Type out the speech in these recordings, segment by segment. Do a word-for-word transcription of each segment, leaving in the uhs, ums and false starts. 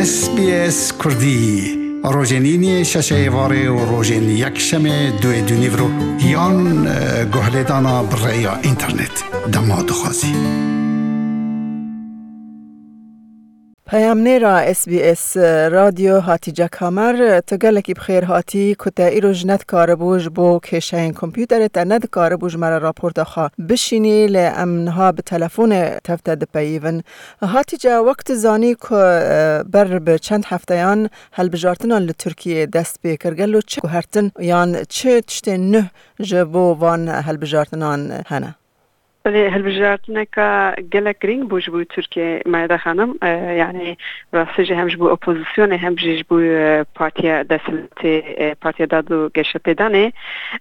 S B S Kurdî, rojên îniyê şeşê êvarê û rojên yekşemê duê dûnîvro yan, e, guhlêdana bi rêya înternet. Dema dixwazî. Peyamnêra S B S Radyo Hatice Kamer, tu gelekî bi xêr hatî, ku te îro ji nedikaribû ji bo kêşeyên kompûterê te nedikaribû ji me re raporta xwe bişînî, lê em niha bi telefonê tev te dipeyivin. Hatice, wek tu zanî ku, e, ber bi çend hefteyan helbijartinan li Tirkiyê dest pê kir, gelo çi guhertin yan çi tiştên nuh ji bo van helbijartinan hene? Belê, hilbijartineka gelek girîng bû ji bo Tirkiyê, Meyda Xanim. E, yanî rastî jî hem ji bo opozisyonê hem jî ji bo, e, partiya desthilatê, e, Partiya Dad û Geşepêdanê,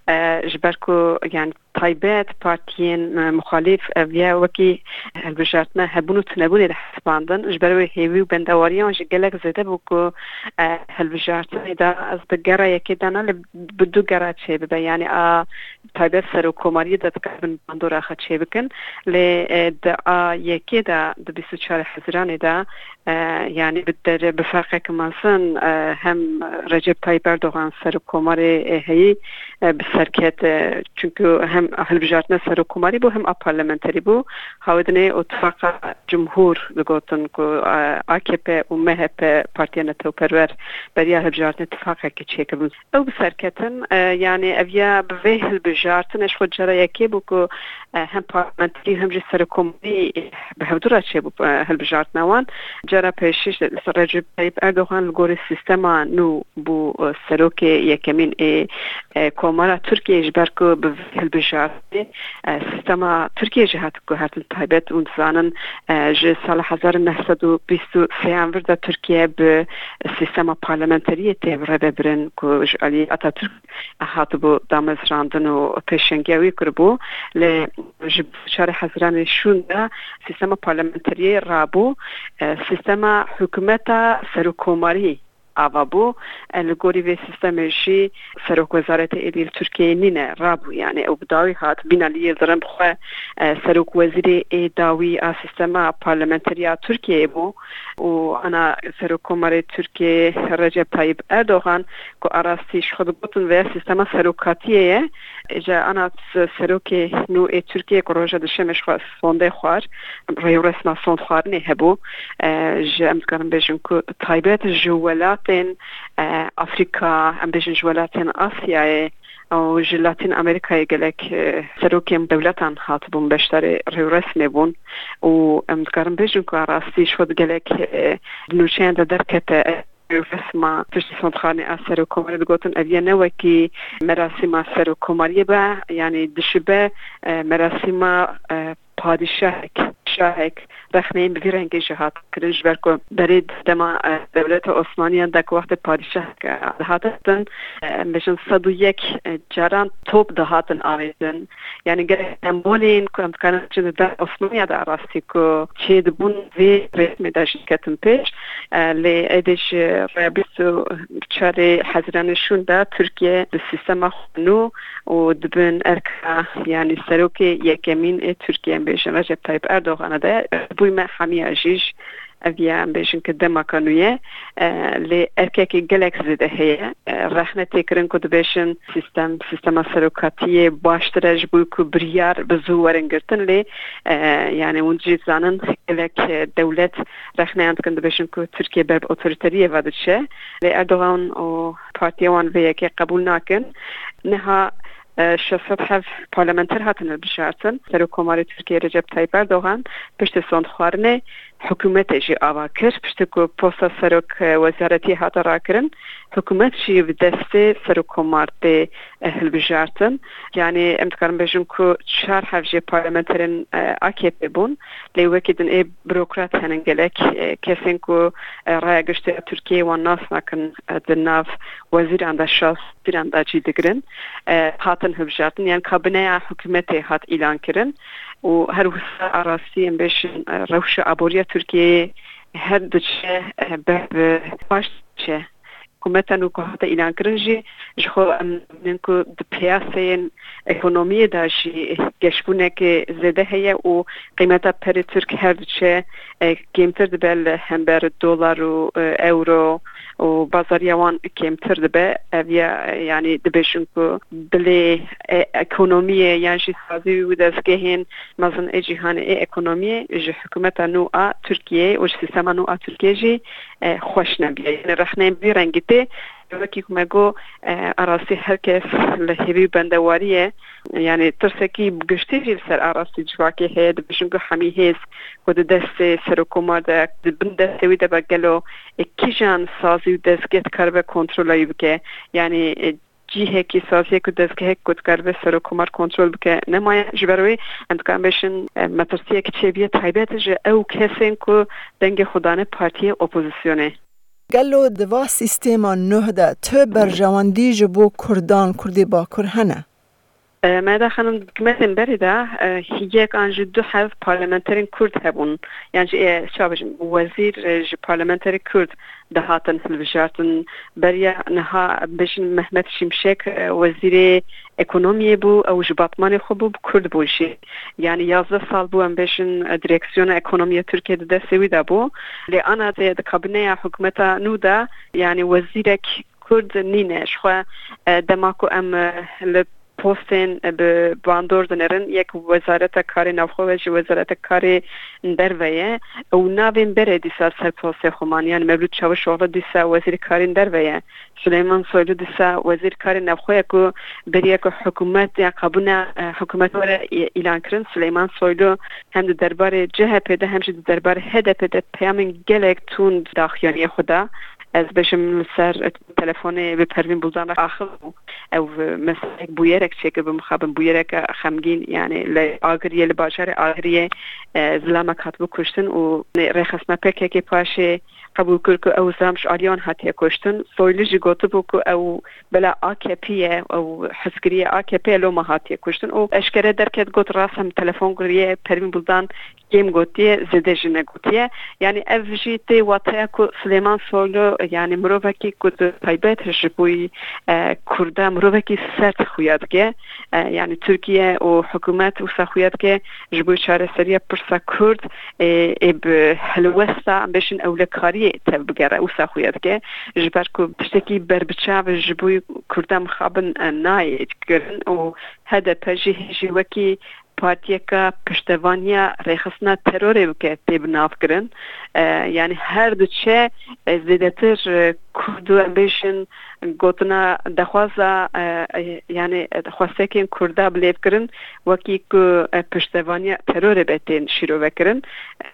e, ji ber ku, yanî, taybet partiyên, e, muxalîf, ev ya wekî hilbijartina hebûn û tunebûnê dihesibandin. Ji ber wê hêvî û bendewariyan jî gelek zêde bû ku, e, hilbijartinê de ez bi gera yekê de ne, lê bi du gera çêbibe. Yanî a taybet serokkomariyê de dikevin bandora xwe çêbikin. Lê, e, di a yekê de, di bîst û çar Hezîranê de, e, yanî bi dere-, bi ferqeke mezin, e, hem Recep Tayyip Erdogan serokkomarê, e, heyî, e, bi ser ket, e, çunku hem hilbijartina serokkomarî bû, hem a parlamenterî bû. Hawedinê Îtifaqa Cumhur digotin ku, e, A K P û M H P, Partiya Netewperwer, beriya hilbijartinê tifaqekê çêkiribûn. Ew bi ser ketin, e, yanî ev ya bi vê hilbijartinê ji xwe cara yekê bû ku, e, hem parlamenterî hem jî serokkomarî, e, bi hevdu re çêbû, e, hilbijartina wan. Cara pêşî jî Recep Tayyip Erdogan li gorî sîstema nû bû, e, serokê yekemîn ê, e, Komara Tirkiyeyê, ji ber ku bi vê hilbijartinê, e, sîstema Tirkiyê jî hat guhertin taybet û dizanin, e, ji sala hezar û neh sed û bîst û sêyan vir de Tirkiye bi sîstema parlamenteriyê tê rêvebirin ku ji alî Atatürk hatibû damezrandin û pêşengiya wî kiribû. Lê ji çarê Hezîranê şûn de sîstema parlamenteriyê rabû, e, sîstema hikûmeta serokkomarî ava bû. E, li gorî vê sîstemê jî serokwezareta êdî li Tirkiyeyê nîne, rabû. Yanî ew bi dawî hat. Bînalî Yildirim bi xwe, e, serokwezîrê ê dawî a sîstema parlamenterî ya Tirkiyeyê bû û ana serokkomarê Tirkiyeyê Recep Tayyip Erdogan ku a rastî ji xwe digotin vê sîstema serokatiyê ye, ji ana s-, serokê nû ê Tirkiyeyê ku roja duşemê ji xwe sondê xwar, rêwresma sondxwarinê hebû. E, ji, em dikarin bêjin ku taybet ji welatên, e, Afrîka, em bêjin ji welatên Asyayê û ji Latîn Amerîkayê gelek, e, serokên dewletan hatibûn beşdarê rêwresmê bûn û em dikarin bêjin ku a rastî ji xwe gelek, e, di nûçeyan de derkete, e, rêwresma piştî sondxwarinê a serokkomarê digotin, ev ye ne wekî merasîma serokkomariyê be, yanî dişibe, e, merasîma, e, padîşahek, şahek, rexneyên bi vî rengê jî hat kirin, ji ber ku berê dema, e, dewleta Osmaniyan de ku wextê padîşahek, e, dihate din, e, em bêjin sed û yek, e, caran top dihatin avêtin. Yanî gelek sembolên ku em dikarin bêjin di dem Osmaniya de rastî ku çêdibûn vê rêsmê de jî ketin pêş. E, lê êdî ji rêya bîst û çarê Hezîranê şûn de Tirkiye di sîstema xwe nû û di bin erka, yanî serokê yekemîn ê Tirkiye, em bêjin Recep Tayyip Erdogan de, bûyme hemiya jî ji ev ya, em bêjin ki demaka nû ye, e, lê erkekê gelek zêde heye. E, rexne tê kirin ku dibêjin sîstem, sîstema serokatiyê baştir e ji bo ku biryar bi zû werin girtin, lê, e, yanî hûn jî zanin gelek, e, dewlet rexneyan dikin, dibêjin ku Tirkiye ber bi otoriteriyê ve diçe. Lê Erdogan û partiya wan vê yekê qebûl nakin. Niha, e, şeş sed hev parlamenter hatin hilbijartin. Serokkomarê Tirkiyê Recep Tayyip Erdogan piştî sondxwarinê hikûmetê jî ava kir. Piştî ku posta serok, e, wezaretiyê hate rakirin, hikûmet jî bi destê serokkomar tê, e, hilbijartin. Yanî em dikarin bêjin ku çar hev jê parlamenterên, e, A K P bûn. Lê wekî din ê burokrat henin gelek, e, kesên ku, e, raya giştî ya Tirkiyeyê wan nas nakin, e, di nav wezîran de, şaş wezîran de cî digirin, e, hatin hilbijartin. Yan kabineya hikûmetê hat îlan kirin û her wisa a rastî em bêjin, e, rewşa aboriya Tirkiyeyê her diçe, e, ber bi paş diçe. Hikûmeta nû ku hate îlankirin jî ji xwe em dibînin ku di piyaseyên ekonomiyê de jî geşbûnekê zêde heye û qîmeta perê Tirk her diçe, e, kêmtir dibe li hember dolar û, e, euro û bazariya wan kêmtir dibe. Ev ya, e, yanî dibêjin ku dilê, e, ekonomiyê yan jî sazî û dezgehên mezin ê cîhanê ê ekonomiyê ji hikûmeta nû a Tirkiyeyê û ji sîstema nû a Tirkiyeyê jî, e, xweş nebiye. Yanî rexneyên vî rengî tê, wekî ku me got, e, a rastî her kes li hêvî û bendewariyê, yanî tirsekî bi giştî jî li ser a rastî civakê heye, dibêjin ku hemî hêz ku di destê serokkomar de, di bin destê wî de be, gelo, e, kîjan sazî û dezgeh dikaribe kontrola wî bike? Yanî, e, cihekî, saziyek û dezgehek ku dikaribe serokkomar kontrol bike nemaye. Ji ber wê em dikarin bêjin, e, metirsiyek çêbûye taybet ji ew kesên ku dengê xwe dane partiyê opozisyonê. Gelo di va sîstêma nuh de tu berjewendî ji bo Kurdan, Kurdê Bakur hene? E, Mehda Xanim, di hikûmetên berê de, e, yek an jî du heb parlamenterên Kurd hebûn. Yan jî, e, çawa bêjim, wezîr, e, ji parlamenterê Kurd dihatin hilbijartin. Beriya niha, bêjin, Mehmet Şimşek, e, wezîrê ekonomiyê bû, ew ji Batmanê xwe bû, bi Kurd bû jî. Yanî yazdeh sal bû, em bêjin, e, direksiyona ekonomiya Tirkiye di destê wî de bû. Lê ana di, di kabineya hikûmeta nû de, yanî wezîrek Kurd nîne. Ji xwe, e, dema ku em, e, li postên, e, bi bandor dinêrin, yek wezareta karê navxwe ve ji wezareta karê derve ye. Û navên berê dîsa ser postê xwe man. Yanî Mevlût Çavuşoğlu dîsa wezîrê karên derve ye. Süleyman Soylu dîsa wezîr karê navxwe ye ku beriya ku hikûmet ya kabûna, e, hikûmet were î-, îlan kirin. Süleyman Soylu hem di derbarê C H P de hem jî di derbarê H D P de peyamên gelek tund daxuyaniyê xwe da. Ez bêjim li ser telefonê bi Pervîn Buldan re axivî bû. Ew, e, meseleyek bûyerek çêkir, bi mixabin bûyereke xemgîn, yanî li Agiriyê, li bajarê Agiriyê, e, zilamek hatibû kuştin û rêxistina P K K paşê qebûl kir ku ew zilam ji aliyê wan hatiye kuştin. Soylu jî gotibû ku ew bela A K P ye, ew hizkiriyê A K P ye, loma hatiye kuştin. Û eşkere derket, got, rast em telefon kiriye, Pervîn Buldan kêm gotiye, zêde jî negotiye. Yanî ev jî tê wateya ku Silêman Soylu, yanî mirovekî ku di taybet ji bo, e, Kurda mirovekî sert xuya dike. E, yanî Tirkiye û hikûmet wisa xuya dike ji bo çareseriya pirsa Kurd, e, ê bi helwesta, em bêjin, ewlekariyê tevbigere, wisa xuya dike. Ji ber ku tiştekî berbiçav ji bo Kurda mixabin, e, nayê kirin û H D P jî hê jî wekî partiyeke piştevaniya rêxistina terorê bike tê bi nav kirin. E, yanî her diçe, e, zêdetir, e, Kurd û, em bêjin, gotina dexwaza, e, e, yanî, e, xwestekên Kurda bi lêv kirin, wekî ku, e, piştevaniya terorê be tên şîrove kirin.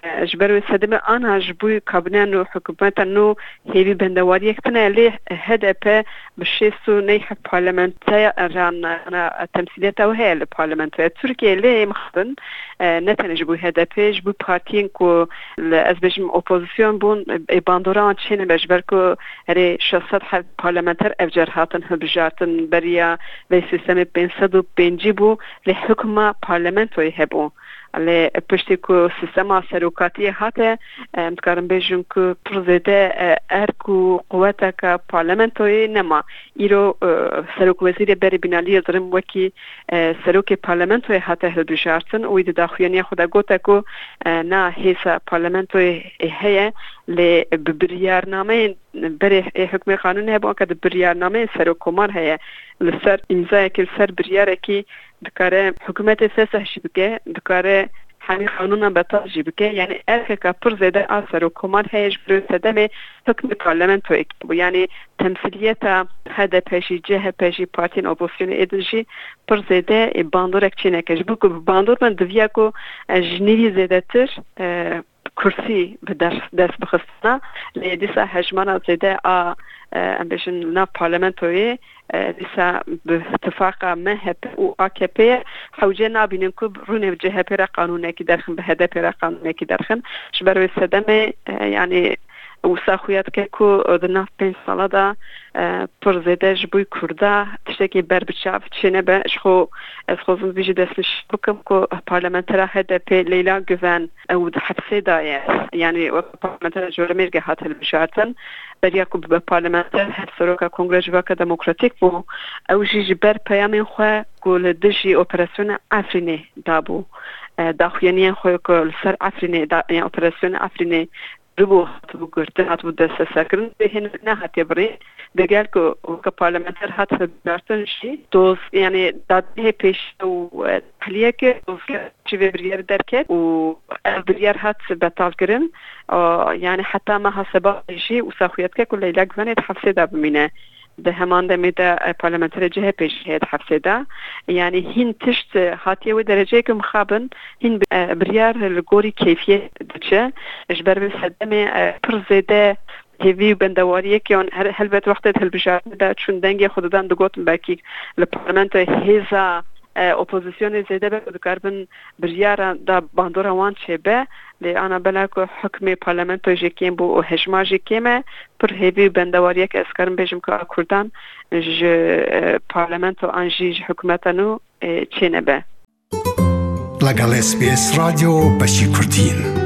E, ji ber wê sedemê ana ji bo kabîne nû, hikûmeta nû hêvî bendewariyek tune, lê H D P bi şêst û neh parlamenteran, ana temsîliyeta wê heye li parlamentoya Tirkiyeyê, lê mixabin, e, ne tenê ji bo H D P, ji bo partiyên ku li, ez bêjim, opozîsyon bûn, ê bandora wan çênebe, ji ber ku herê şeş sed heb parlamenter ev car hatin hilbijartin, beriya vê sîstemê pênc sed û pêncî bû, lê hukma parlamentoyê hebû. Lê piştî ku sîstema serokatiyê hate, em dikarin bêjin ku pir zêde, e, erk û quweteke parlamentoyê nema. Îro, e, serokwezîrê berê Binalî Yildirim wekî, e, serokê parlamentoyê hate hilbijartin û wî di daxuyaniya xwe de gote ku, e, na hêza parlamentoyê heye, lê bi biryarnameyên berê ê hukmê qanûnê hebû, anka di biryarnameyên serokkomar heye. Li ser îmzayekî, li ser biryarekî dikare hikûmetê fesih jî bike, dikare hemî qanûnan betal jî bike. Yanî erkeke pir zêde a serokkomar heye, ji ber sedemê hukmê parlamentoyê bû. Yanî temsîliyeta H D P jî, C H P jî, partiyên opozisyonê ê din jî pir zêde, e, bandorek çêneke. Ji bo ku bi bandor bin, diviya ku, e, ji nîvî zêdetir, e, kursî bi dest, dest bixistina, lê dîsa hejmara zêde a, e, em bêjin, li nav parlamentoyê, e, dîsa bi tifaqa M H P û A K P ye, hewce nabînin ku rûnê bi C H P re qanûnekî derxin, bi H D P re qanûnekî derxin. Ji ber wê sedemê, e, yanî wisa xuya dike ku di nav pênc sala de, e, pir zêde ji bo Kurda tiştekî berbiçav çênebe. Ji xwe ez xwezim vî jî destnîşan bikim ku parlamentera H D P Leyla Güven, ew di hepsê de ye. Yanî wek parlamentera Colemêrgê hat hilbijartin. Beriya ku bibe parlamenter, hevseroka Kongreya Civaka Demokratîk bû. Ew jî ji ber peyamên xwe ku li dijî operasyona Efrînê dabû, e, daxuyaniyên xwe ku li ser Efrînê, da, yani operasyona Efrînê bû, hatibû girtin, hatibû desteserkirin, wê hênik nehatiye birîn. Digel ku weke parlamenter hat hilbijartin jî, doz, yani dadgehê pêşiya û, e, tehliyeke dozge ji vê biryarê derket û ev biryar hat betalkirin. A, yani heta meha Sebatê jî wisa xuya dike ku Leyla Guvenê di hefsê de bimîne. Di heman demê de, e, parlamenterê C H P jî heye di hefsê de. Yani hîn tişt, e, hatiye wê dereceyeke mixabin, hîn, e, biryar li gorî keyfiyê diçe. Ji ber vê sedemê, e, pir zêde hêvî û bendewariyekê wan her, helbet wextê di hilbijartinê de çûn dengê xwe didan, digotin belkî li parlamentoyê hêza, e, opozisyonê zêde be ku dikaribin biryara da bandora wan çêbe. Lê ana bela ku hukmê parlamentoyê jê kêm bû û hejma jê kêm e, pir hêvî û bendewariyek ez karim bêjim ku a Kurdan ji, e, parlamento an jî ji hikûmeta nû, e, çênebe. لەگەڵ S B S رادیۆ بەشی کوردین.